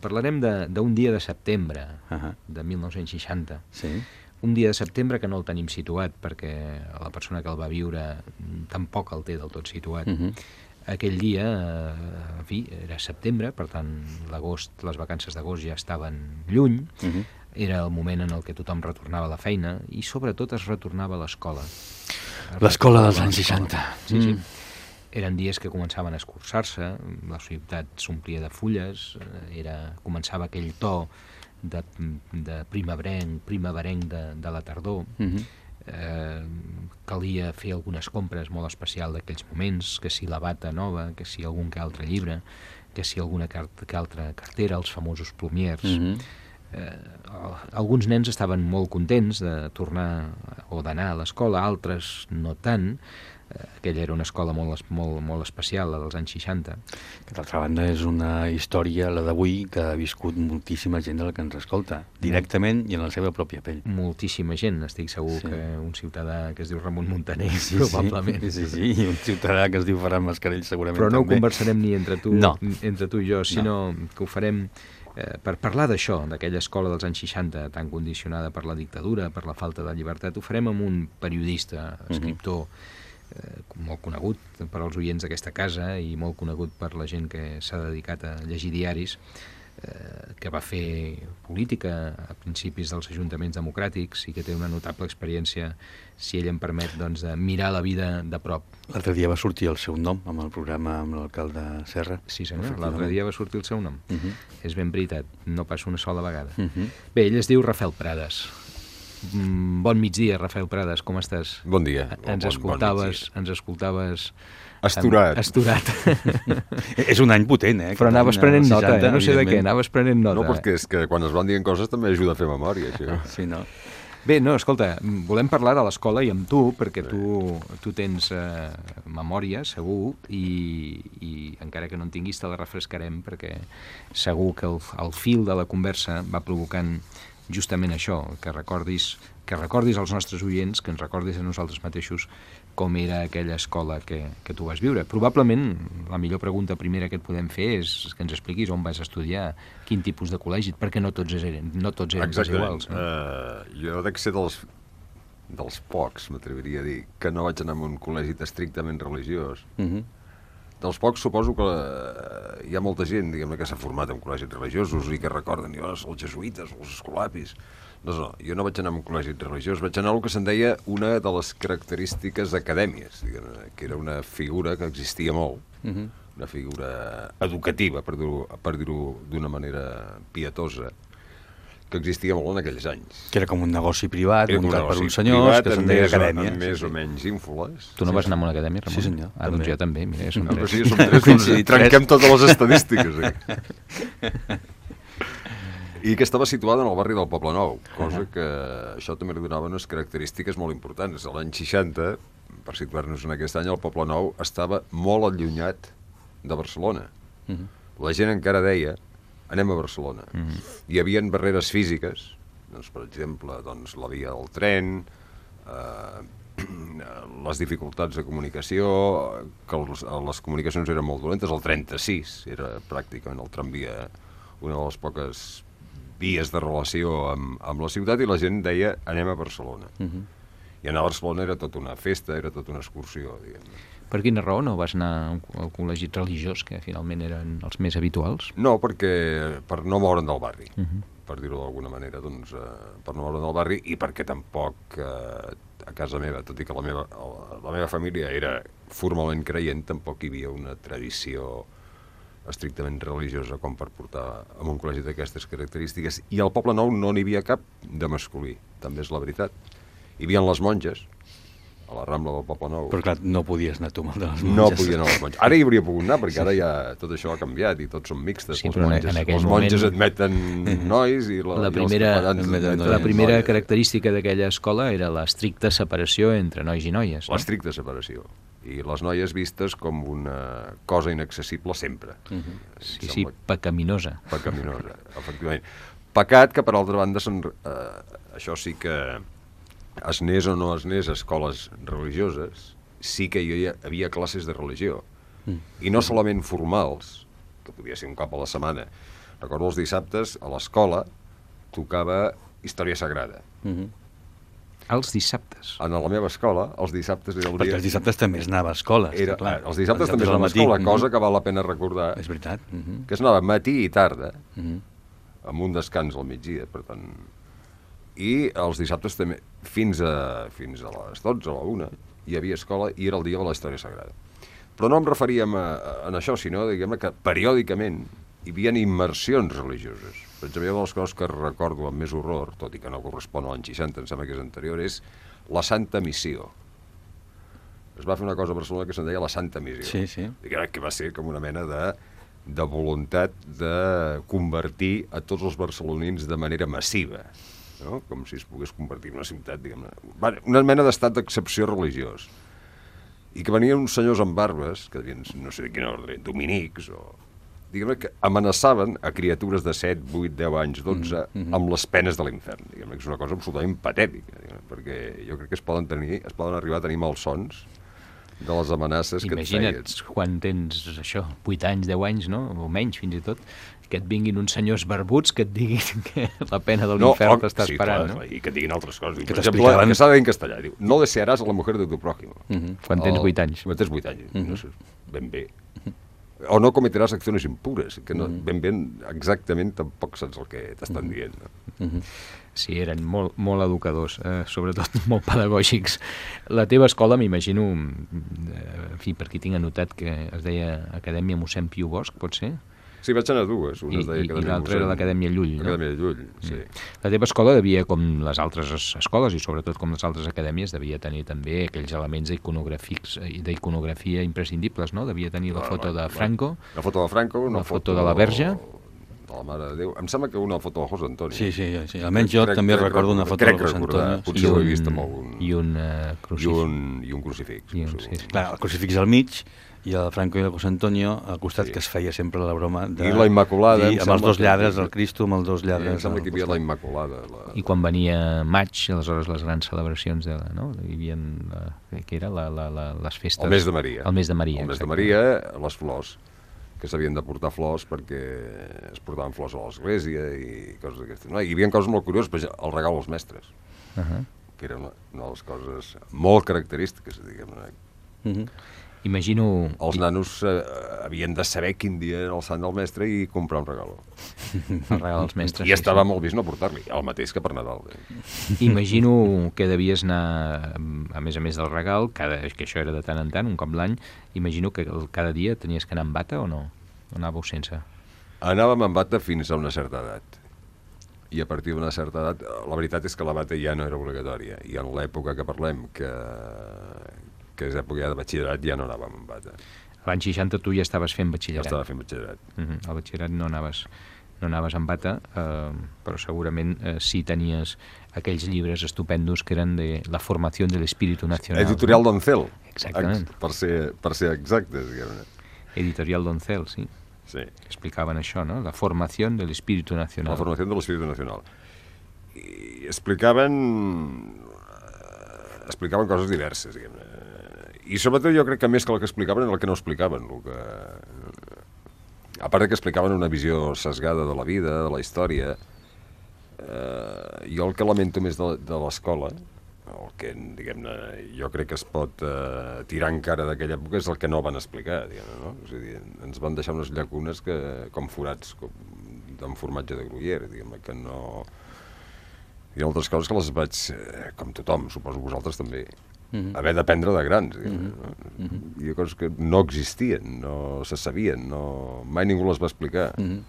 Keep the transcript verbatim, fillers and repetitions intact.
Parlarem d'un dia de setembre Uh -huh. de mil nou-cents seixanta. Sí. Un dia de setembre que no el tenim situat, perquè la persona que el va viure tampoc el té del tot situat. Uh -huh. Aquell dia, eh, en fi, era setembre, per tant, l'agost, les vacances d'agost ja estaven lluny, Uh -huh. era el moment en el que tothom retornava a la feina i sobretot es retornava a l'escola. L'escola dels anys seixanta. Sí, sí. Eren dies que començaven a escurçar-se, la ciutat s'omplia de fulles, era, començava aquell to de, de primaverenc, primaverenc de, de la tardor. Uh -huh. eh, calia fer algunes compres molt especials d'aquells moments, que si la bata nova, que si algun que altre llibre, que si alguna que altra cartera, els famosos plumiers. Uh -huh. eh, alguns nens estaven molt contents de tornar o d'anar a l'escola, altres no tant. Aquella era una escola molt, molt, molt especial, la dels anys seixanta. Que d'altra banda és una història, la d'avui, que ha viscut moltíssima gent de la que ens escolta, directament i en la seva pròpia pell. Moltíssima gent, estic segur sí. que un ciutadà que es diu Ramon Muntaner, sí, probablement. Sí, sí, sí, i un ciutadà que es diu Ferran Mascarell segurament Però no també. ho conversarem ni entre tu, no. entre tu i jo, sinó no. que ho farem eh, per parlar d'això, d'aquella escola dels anys seixanta, tan condicionada per la dictadura, per la falta de llibertat. Ho farem amb un periodista, escriptor, uh-huh. Eh, molt conegut per als oients d'aquesta casa i molt conegut per la gent que s'ha dedicat a llegir diaris, eh, que va fer política a principis dels ajuntaments democràtics i que té una notable experiència, si ell em permet, doncs, de mirar la vida de prop. L'altre dia va sortir el seu nom amb el programa amb l'alcalde Serra. Sí senyor, l'altre dia va sortir el seu nom. Uh-huh. És ben veritat, no passa una sola vegada. Uh-huh. Bé, ell es diu Rafael Prades. Bon migdia, Rafael Prades, com estàs? Bon dia. Ens bon, escoltaves, bon ens escoltaves... Asturat. Asturat. És un any potent, eh? Però anaves prenent nota, eh? No sé de què, anaves prenent nota. No, perquè és que quan es van dient coses també ajuda a fer memòria, això. Sí, no? Bé, no, escolta, volem parlar de l'escola i amb tu, perquè tu, tu tens eh, memòria, segur, i, i encara que no en tinguis te la refrescarem, perquè segur que el, el fil de la conversa va provocant justament això, que recordis, que recordis als nostres oients, que ens recordis a nosaltres mateixos com era aquella escola que, que tu vas viure. Probablement la millor pregunta primera que et podem fer és que ens expliquis on vas estudiar, quin tipus de col·legi, perquè no tots eren, no tots eren iguals. No? Uh, jo dec ser dels, dels pocs, m'atreviria a dir, que no vaig anar a un col·legi estrictament religiós. Uh -huh. Dels pocs suposo que uh, hi ha molta gent, diguem-ne, que s'ha format en col·legis religiosos i que recorden jo, els jesuïtes, els escolapis. No, no, jo no vaig anar a un col·legi religiós, vaig anar a el que se'n deia una de les característiques acadèmies, diguem-ne, que era una figura que existia molt, uh -huh. una figura educativa, per dir-ho per dir-ho d'una manera pietosa, que existia molt en aquells anys. Que era com un negoci privat, era muntat per uns senyors, que se'n deia acadèmia. Amb més o menys ínfoles. Tu no vas anar a una acadèmia, Ramon? Sí, senyor. Ah, doncs jo també, mira, som no, tres. Sí, som tres, doncs trenquem totes les estadístiques. Eh? I que estava situada en el barri del Poble Nou, cosa que això també li donava unes característiques molt importants. A l'any seixanta, per situar-nos en aquest any, el Poble Nou estava molt allunyat de Barcelona. Uh-huh. La gent encara deia anem a Barcelona. Uh-huh. Hi havia barreres físiques, doncs, per exemple, doncs, la via del tren, eh, les dificultats de comunicació, que els, les comunicacions eren molt dolentes. El trenta-sis era pràcticament el tramvia, una de les poques vies de relació amb, amb la ciutat, i la gent deia anem a Barcelona. Uh-huh. I anar a Barcelona era tota una festa, era tota una excursió, diguem-ne. Per quina raó no vas anar al col·legi religiós, que finalment eren els més habituals? No, perquè per no moure'n del barri, uh-huh. per dir-ho d'alguna manera, doncs, eh, per no moure'n del barri, i perquè tampoc eh, a casa meva, tot i que la meva, la meva família era formalment creient, tampoc hi havia una tradició estrictament religiosa com per portar a un col·legi d'aquestes característiques. I al Poble Nou no n'hi havia cap de masculí, també és la veritat. Hi havia les monges, a la Rambla del Poble Nou. Però clar, no podies anar tu amb el de les monges. No podia anar a les monges. Ara hi hauria pogut anar, perquè ara ja tot això ha canviat i tots són mixtes. Sí, les monges, en les moment... monges admeten nois i, la, la primera, i els admeten la primera noies. Característica d'aquella escola era l'estricta separació entre nois i noies. No? L'estricta separació. I les noies vistes com una cosa inaccessible sempre. Uh-huh. Sí, sí, pecaminosa. Pecaminosa, efectivament. Pecat que, per altra banda, eh, això sí que es anés o no es anés a escoles religioses, sí que hi havia classes de religió. Mm. I no solament formals, que podia ser un cop a la setmana, Recordo els dissabtes, a l'escola, tocava Història Sagrada. Mhm. Els dissabtes. En la meva escola, els dissabtes era el dia... Perquè els dissabtes també es anava a escola, Era, està clar. els dissabtes també es al anava a matí. escola, Mhm. cosa que val la pena recordar, És veritat. Mhm. que es anava matí i tarda, Mhm. amb un descans al migdia, per tant... I els dissabtes també, fins a, fins a les dotze, a la una, hi havia escola i era el dia de la Història Sagrada. Però no em referíem a, a, a això, sinó diguem que periòdicament hi havia immersions religioses. Per exemple, una de les coses que recordo amb més horror, tot i que no correspon a l'any seixanta, em sembla que és anterior, és la Santa Missió. Es va fer una cosa a Barcelona que se'n deia la Santa Missió. Sí, sí. Diguem que va ser com una mena de, de voluntat de convertir a tots els barcelonins de manera massiva, no? Com si es pogués convertir en una ciutat, diguem-ne. Una mena d'estat d'excepció religiós. I que venien uns senyors amb barbes, que devien, no sé de quin ordre, dominics, o... diguem-ne que amenaçaven a criatures de set, vuit, deu anys, dotze, mm-hmm. amb les penes de l'infern. Diguem-ne que és una cosa absolutament patètica, perquè jo crec que es poden tenir, es poden arribar a tenir malsons de les amenaces que et feien. Imagina't quan tens això, vuit anys, deu anys, no? O menys, fins i tot, que et vinguin uns senyors barbuts que et diguin que la pena de l'infern no, t'està sí, esperant, clar, no? I que et diguin altres coses. Que per exemple, t'explicaven... que s'ha de dir en castellà. Diu, no desearàs a la mujer de tu prójimo. Mhm. Quan tens vuit anys. Quan tens vuit anys, Mhm. no sé, ben bé. O no cometeràs acciones impures, que no, ben bé exactament tampoc saps el que t'estan dient. No? Mhm. Sí, eren molt, molt educadors, eh, sobretot molt pedagògics. La teva escola, m'imagino, eh, en fi, per aquí tinc anotat que es deia Acadèmia mossèn Piu Bosch, pot ser? Sí, vaig anar a dues. Una I, es deia i, i Acadèmia l'altra era Mossèn- l'Acadèmia Llull, no? Acadèmia de Llull, sí. La teva escola devia, com les altres es- escoles i sobretot com les altres acadèmies, devia tenir també aquells elements iconogràfics i d'iconografia imprescindibles, no? Devia tenir la Bueno, foto de bueno, Franco, La foto de Franco, una la foto de la Verge. de la Mare de Déu. Em sembla que una foto de José Antonio. Sí, sí, sí. Almenys jo Crec- també crec recordo una foto crec de José recordar. Antonio. Potser ho he vist amb algun... i un uh, I crucifix. un, i un crucifix. I un- segur. sí, sí. Clar, el crucifix al mig i el Franco i el José Antonio al costat, Sí. que es feia sempre la broma de... I la Immaculada, em dir, amb sembla els dos que- lladres, el Cristo amb els dos Sí, lladres. em sembla que hi havia al la costat. Immaculada. La... I quan venia maig, aleshores les grans celebracions de la, no? Hi havia la, que era la, la, la, les festes... El mes de Maria. El mes de Maria, El mes de exacte. Maria, les flors, que s'havien de portar flors perquè es portaven flors a l'església i coses d'aquestes. No? Hi havia coses molt curioses, per exemple, el regal als mestres, Uh -huh. que era una, una de les coses molt característiques, diguem-ne. Mhm. Imagino... Els nanos eh, havien de saber quin dia era el sant del mestre i comprar un regal. el regal als mestres. I estava molt vist no portar-li, el mateix que per Nadal. Eh? Imagino que devies anar, a més a més del regal, cada, que això era de tant en tant, un cop l'any, imagino que el- cada dia tenies que anar amb bata o no? O anàveu sense? Anàvem amb bata fins a una certa edat. I a partir d'una certa edat, la veritat és que la bata ja no era obligatòria. I en l'època que parlem, que, que és època ja de batxillerat, ja no anàvem amb bata. L'any seixanta tu ja estaves fent Ja batxillerat. estava fent batxillerat. Uh -huh. Al batxillerat no anaves, no anaves amb bata, eh, però segurament eh, sí tenies aquells llibres estupendos que eren de la formació de l'espíritu nacional. Editorial Doncel. Exactament. Ex- Per ser, per ser exactes, diguem-ne. Editorial Doncel, sí. Sí. Explicaven això, no? La formació de l'espíritu nacional. La formació de l'Espíritu Nacional. I explicaven... eh, explicaven coses diverses, diguem-ne. I sobretot jo crec que més que el que explicaven era el que no explicaven. El que... A part de que explicaven una visió sesgada de la vida, de la història, eh, jo el que lamento més de, de l'escola, el que, diguem-ne, jo crec que es pot eh, tirar encara d'aquella època és el que no van explicar, diguem-ne, no? És a dir, ens van deixar unes llacunes que, com forats com, amb formatge de Gruyère, diguem-ne, que no... Hi ha altres coses que les vaig, eh, com tothom, suposo vosaltres també, Mhm. haver d'aprendre de grans, diguem-ne, no? Hi ha coses que no existien, no se sabien, no... mai ningú les va explicar. Mhm.